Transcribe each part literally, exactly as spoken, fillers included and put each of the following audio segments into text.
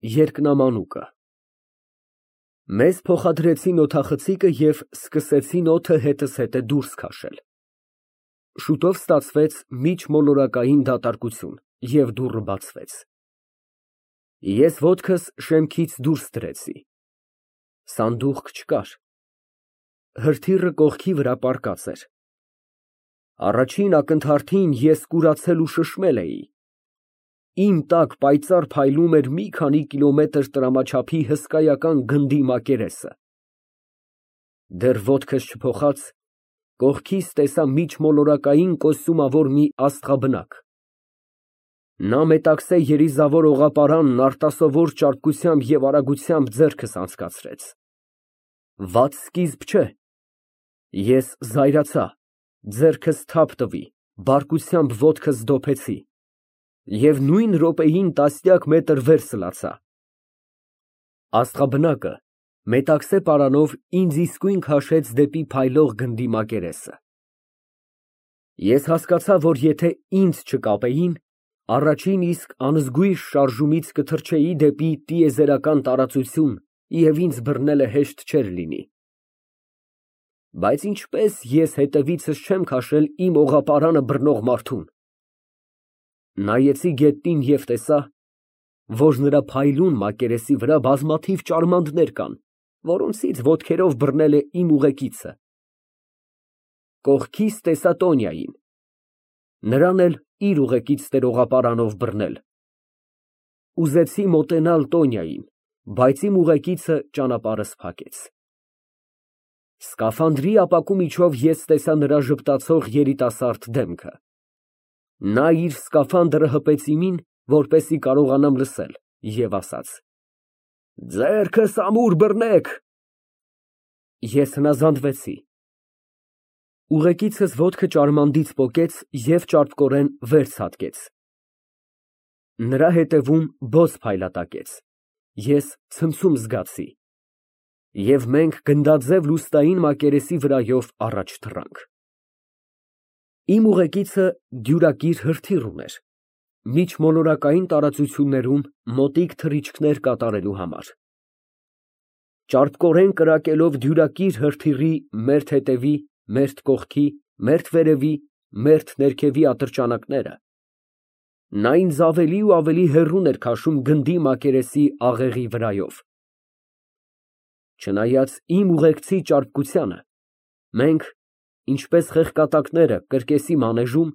Երկնամանուկը Մեզ փոխադրեցին օդախցիկը և սկսեցին օդը հետզհետե դուրս քաշել։ Շուտով ստացվեց միջմոլորակային դատարկություն, և դուռը բացվեց։ Ես ոտքս շեմքից դուրս դրեցի։ Սանդուղք չկար։ Հրթիռը կողքի վրա պառկած էր։ Առաջին ակնթարթին ես կուրացել ու շշմել էի։ Իմ տակ պայծառ փայլում էր մի քանի կիլոմետր տրամաչափի հսկայական գնդի մակերեսը։ Դեռ ոտքս չփոխած, կողքիս տեսա միջմոլորակային կոստյումավոր մի աստղաբնակ։ Նա մետաքսե երիզավոր օղապարանն արտասովոր ճարպկությամբ և արագությամբ ձեռքս անցկացրեց։ Վատ սկիզբ չէ։ Ես զայրացա, ձեռքս թափ տվի, բարկությամբ ոտքս դոփեցի և նույն րոպեին տասնյակ մետր վեր սլացա։ Աստղաբնակը մետաքսե պարանով ինձ իսկույն քաշեց դեպի փայլող գնդի մակերեսը։ Ես հասկացա, որ եթե ինձ չկապեին, առաջին իսկ անզգույշ շարժումից կթռչեի դեպի տիեզերական տարածություն և ինձ բռնելը հեշտ չէր լինի։ Բայց ինչպե՞ս ես հետևիցս չեմ քաշել իմ օղապարանը բռնող մարդուն։ Նայեցի գետնին և տեսա, որ նրա փայլուն մակերեսի վրա բազմաթիվ ճարմաններ կան, որոնցից ոտքերով բռնել է իմ ուղեկիցը։ Կողքիս տեսա Տոնյային, նրան էլ իր ուղեկիցն էր օղապարանով բռնել։ Ուզեցի մոտենալ Տոնյային, բայց իմ ուղեկիցը ճանապարհս փակեց։ Սկաֆանդրի ապակու միջով ես տեսա նրա ժպտացող երիտասարդ դեմքը։ Նա իր սկաֆանդրը հպեց իմին, որպեսզի կարողանամ լսել, և ասաց. «Ձեռքս ամուր բռնեք»։ Ես հնազանդվեցի։ Ուղեկիցս ոտքը ճարմանցից պոկեց և ճարպկորեն վեր ցատկեց։ Նրա հետևում բոց փայլատակեց, ես ցնցում զգացի, և մենք գնդաձև լուսնային մակերեսի վրայով առաջ թռանք։ Իմ ուղեկիցը դյուրակիր հրթիռ ուներ, միջմոլորակային տարածություններում մոտիկ թռիչքներ կատարելու համար։ Ճարպկորեն կրակելով դյուրակիր հրթիռի մերթ հետևի, մերթ կողքի, մերթ վերևի, մերթ ներքևի ատրճանակները, նա ինձ ավելի ու ավելի հեռուն էր քաշում գնդի մակերեսի աղեղի վրայով։ Չնայած իմ ուղեկցի ճարպկությանը, մենք, ինչպես խեղկատակները կրկեսի մանեժում,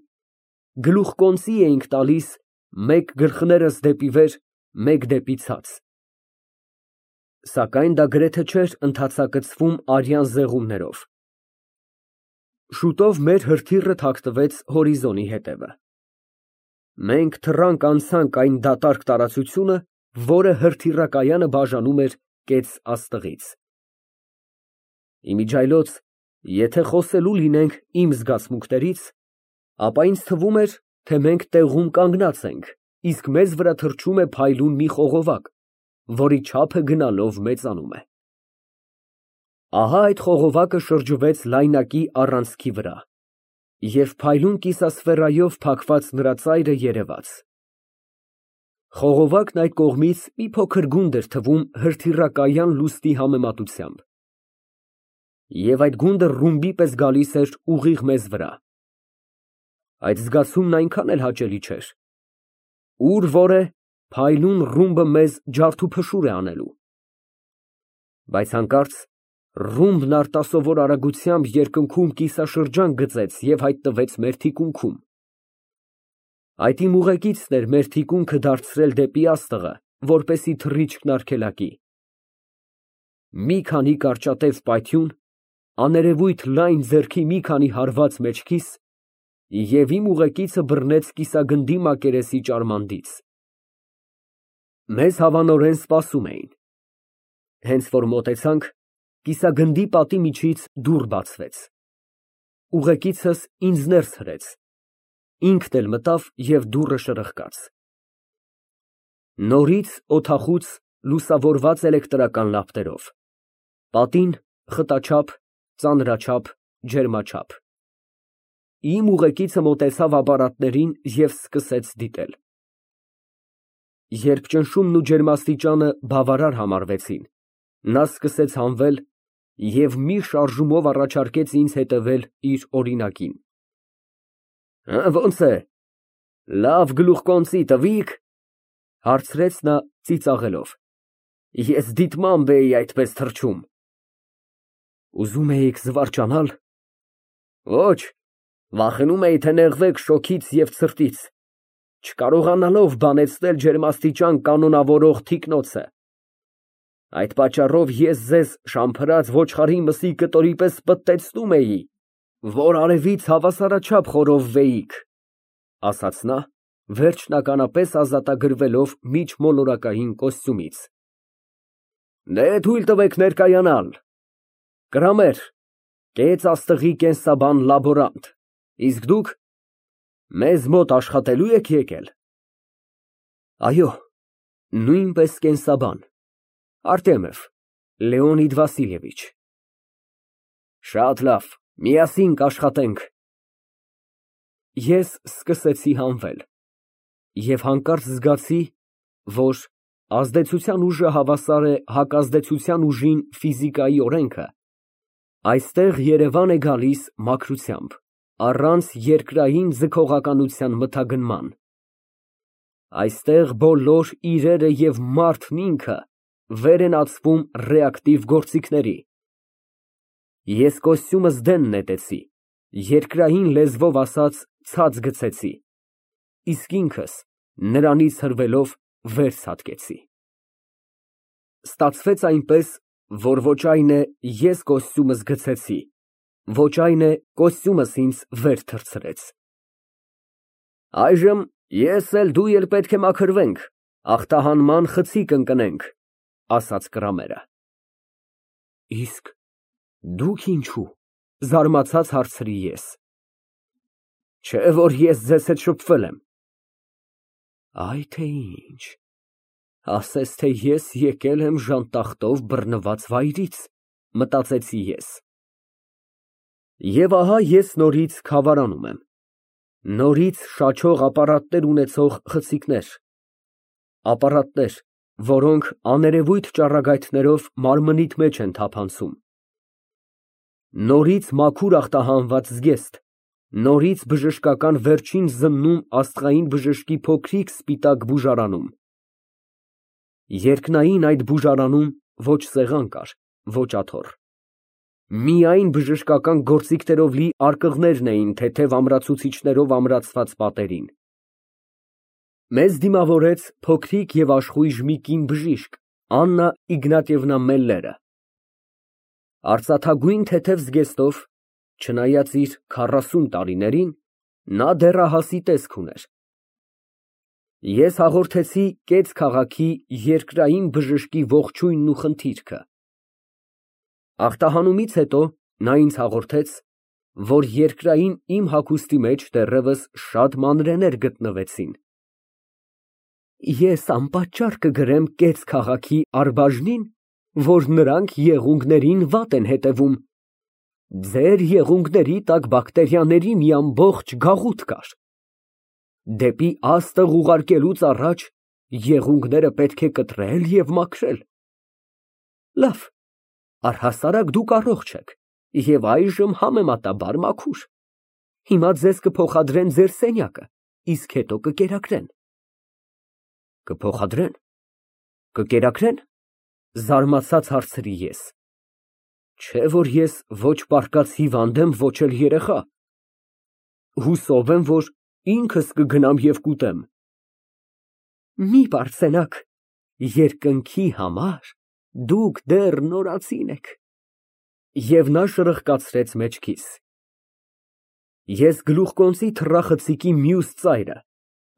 գլուխկոնծի էինք տալիս մեկ գլխներս դեպի վեր, մեկ դեպի ցած։ Սակայն դա գրեթե չէր ընդհատակցվում արյան զեղումներով։ Շուտով մեր հրթիռը թաքնվեց հորիզոնի հետևը։ Մենք թռանկ֊անցանք այն դատարկ տարածությունը, որը հրթիռակայանը բաժանում էր կեց աստղից։ Իմիջիայլոց, եթե խոսելու լինենք իմ զգացմունքներից, ապա ինձ թվում էր, թե մենք տեղում կանգնած ենք, իսկ մեզ վրա թռչում է փայլուն մի խողովակ, որի չափը գնալով մեծանում է։ Ահա այդ խողովակը շրջվեց լայնակի առանցքի վրա, և փայլուն կիսասֆերայով փակված նրա ծայրը երևաց։ Խողովակն այդ կողմից մի փոքր գունդ էր թվում հրթիռակայան լուսնի համեմատությամբ, և այդ գունդը ռումբի պես գալիս էր ուղիղ մեզ վրա։ Այդ զգացումն այնքան էլ հաճելի չէր։ Ուր որ է, փայլուն ռումբը մեզ ջարդուփշուր է անելու։ Բայց հանկարծ ռումբն արտասովոր արագությամբ երկնքում կիսաշրջան գծեց և հայտնվեց մեր թիկունքում։ Այդ իմ ուղեկիցն էր մեր թիկունքը դարձրել դեպի աստղը, որպեսզի թռիչքն արգելակի։ Մի քանի կարճատև պայթյուն, աներևույթ լայն ձեռքի մի քանի հարված մեջքիս, և իմ ուղեկիցը բռնեց կիսագնդի մակերեսի ճարմանցից։ Մեզ հավանորեն սպասում էին։ Հենց որ մոտեցանք, կիսագնդի պատի միջից դուռ բացվեց։ Ուղեկիցս ինձ ներս հրեց, ինքն էլ մտավ և դուռը շրխկաց։ Նորից օդախուց, լուսավորված էլեկտրական լապտերով, պատին խտաչափ, ծանրաչափ, ջերմաչափ։ Իմ ուղեկիցը մոտեցավ ապարատներին և սկսեց դիտել։ Երբ ճնշումն ու ջերմաստիճանը բավարար համարվեցին, նա սկսեց հանվել և մի շարժումով առաջարկեց ինձ հետևել իր օրինակին։ Ո՞նց է, լավ գլուխկոնծի տվի՞ք, հարցրեց նա ծիծաղելով։ Ես դիտմամբ էի այդպես թռչում։ Ուզում էիք զվարճանալ։ Ոչ, վախենում էի, թե նեղվեք շոգից և ցրտից, չկարողանալով բանեցնել ջերմաստիճան կանոնավորող թիկնոցը։ Այդ պատճառով ես ձեզ շամփրած ոչխարի մսի կտորի պես պտտեցնում էի, որ արևից հավասարաչափ խորովվեիք, ասաց նա, վերջնականապես ազատագրվելով միջմոլորակային կոստյումից։ Դե թույլ տվեք ներկայանալ։ Կրամեր, կեց աստղի կենսաբան լաբորանտ, իսկ դուք մեզ մոտ աշխատելու եք եկել։ Այո, նույնպես կենսաբան, Արտեմև Լեոնիդ Վասիլևիչ։ Շատ լավ, միասին կաշխատենք։ Ես սկսեցի հանվել և հանկարծ զգացի, որ ազդեցության ուժը հավասար է հակազդեցության ուժին ֆիզիկայի օրենքը, այստեղ երևան է գալիս մաքրությամբ, առանց երկրային ձգողականության մթագնման։ Այստեղ բոլոր իրերը և մարդն ինքը վեր են ածվում ռեակտիվ գործիքների։ Ես կոստյումս դեն նետեցի, երկրային լեզվով ասած ցած գցեցի, իսկ ինքս նրանից հրվելով վեր ցատկեցի։ Ստացվեց այնպես, որ ոչ այն է ես կոստյումս գցեցի, ոչ այն է կոստյումս ինձ վեր թռցրեց։ Այժմ ես էլ դու էլ պետք է մաքրվենք, ախտահանման խցիկ ընկնենք, ասաց Կրամերը։ Իսկ դուք ինչո՞ւ, զարմացած հարցրի ես։ Չէ՞ որ ես ձեզ հետ շփվել եմ։ Այ թե ինչ, ասես թե ես եկել եմ ժանտախտով բռնված վայրից, մտածեցի ես։ Եվ ահա ես նորից քավարանում եմ, նորից շաչող ապարատներ ունեցող խցիկներ, ապարատներ, որոնք աներևույթ ճառագայթներով մարմնիդ մեջ են թափանցում, նորից մաքուր ախտահանված զգեստ, նորից բժշկական վերջին զննում աստղային բժշկի փոքրիկ սպիտակ բուժարանում։ Երկնային այդ բուժարանում ոչ սեղան կար, ոչ աթոռ, միայն բժշկական գործիքներով լի արկղներն էին թեթև ամրացուցիչներով ամրացված պատերին։ Մեզ դիմավորեց փոքրիկ և աշխույժ մի կին բժիշկ Աննա Իգնատիևնա Մելլերը։ Արծաթագույն թեթև զգեստով, չնայած իր քառասուն տարիներին, նա դեռահասի տեսք ուներ։ Ես հաղորդեցի կեց քաղաքի երկրային բժշկի ողջույնն ու խնդիրքը։ Ախտահանումից հետո նա ինձ հաղորդեց, որ երկրային իմ հագուստի մեջ դեռևս շատ մանրեներ գտնվեցին։ Ես անպատճառ կգրեմ կեց քաղաքի առբաժնին, որ նրանք եղունգներին վատ են հետևում։ Ձեր եղունգների տակ բակտերիաների մի ամբողջ գաղութ կար։ Դեպի աստղ ուղարկելուց առաջ եղունգները պետք է կտրել և մաքրել։ Լավ, առհասարակ դուք առողջ եք և այժմ համեմատաբար մաքուր։ Հիմա ձեզ կփոխադրեն ձեր սենյակը, իսկ հետո կկերակրեն։ Կփոխադրե՞ն, կկերակրե՞ն, զարմացած հարցրի ես։ Չէ՞ որ ես ոչ պառկած հիվանդ եմ, ոչ էլ երեխա։ Հուսով եմ, որ ինքս կգնամ և կուտեմ։ Մի պարծենաք, երկնքի համար դուք դեռ նորածին եք։ Եվ նա շրխկացրեց մեջքիս։ Ես գլուխկոնծի թռախցիկի մյուս ծայրը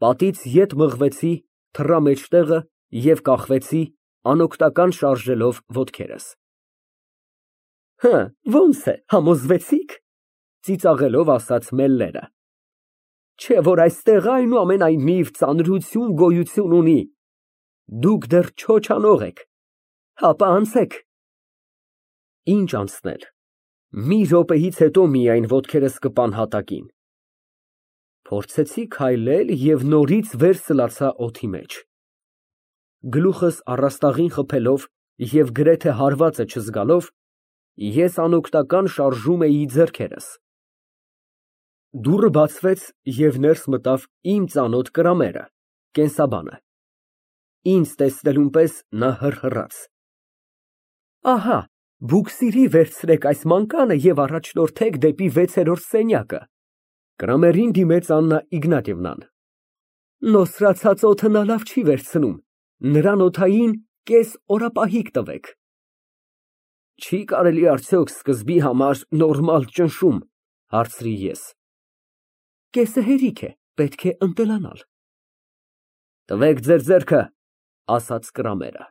պատից ետ մղվեցի թռա մեջտեղը և կախվեցի, անօգնական շարժելով ոտքերս։ Հը, ո՞նց է, համոզվեցի՞ք, ծիծաղելով ասաց Մելլերը։ Չէ՞ որ այստեղ այնուամենայնիվ ծանրություն գոյություն ունի։ Դուք դեռ չոչանող եք, հապա անցեք։ Ինչ անցնել, մի րոպեից հետո միայն ոտքերս կպան հատակին։ Փորձեցի քայլել և նորից վեր սլացա օդի մեջ։ գլուխս առաստաղին խփելով և գրեթե հարվածը չզգալով, ես անօգնական շարժում էի ձեռքերս։ Դուռը բացվեց և ներս մտավ իմ ծանոթ Կրամերը, կենսաբանը։ Ինձ տեսնելուն պես նա հռհռաց. Ահա, բուքսիրի վերցրեք այս մանկանը և առաջնորդեք դեպի վեցերորդ սենյակը։ Կրամերին դիմեց Աննա Իգնատիևնան։ Նոսրացած օդը նա լավ չի վերցնում, նրան օդային կես օրապահիկ տվեք։ Չի կարելի արդյոք սկզբի համար նորմալ ճնշում, հարցրի ես։ Կեսը հերիք է, պետք է ընտելանալ։ Տվեք ձեր ձեռքը, ասաց Կրամերը։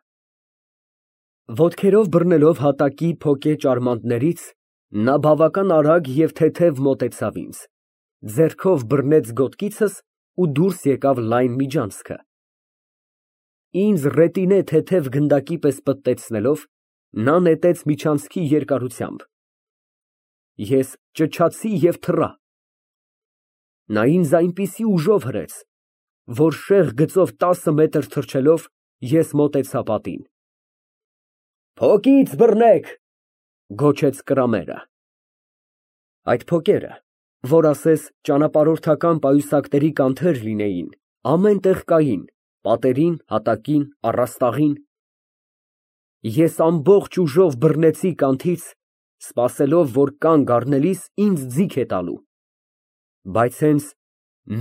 Ոտքերով բռնելով հատակի փոկե ճարմանտներից, նա բավական արագ և թեթև մոտեցավ ինձ, ձեռքով բռնեց գոտկիցս ու դուրս եկավ լայն միջանցքը։ Ինձ ռետինե թեթև գնդակի պես պտտեցնելով, նա նետեց միջանցքի երկարությամբ։ Ես ճչացի և թռա։ Նա ինձ այնպիսի ուժով հրեց, որ շեղ գծով տասը մետր թռչելով, ես մոտեցա պատին։ Փոկից բռնեք, գոչեց Կրամերը։ Այդ փոկերը, որ ասես ճանապարհորդական պայուսակների կանթեր լինեին, ամեն տեղ կային, պատերին, հատակին, առաստաղին։ Ես ամբողջ ուժով բռնեցի կանթից, սպասելով, որ կանգ առնելիս ինձ ձիգ է տալու, բայց հենց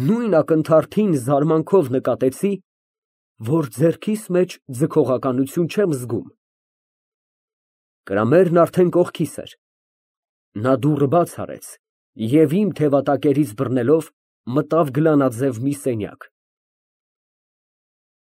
նույն ակնթարթին զարմանքով նկատեցի, որ ձեռքիս մեջ ձգողականություն չեմ զգում։ Կրամերն արդեն կողքիս էր։ Նա դուռը բաց արեց և իմ թևատակերից բռնելով մտավ գլանաձև մի սենյակ։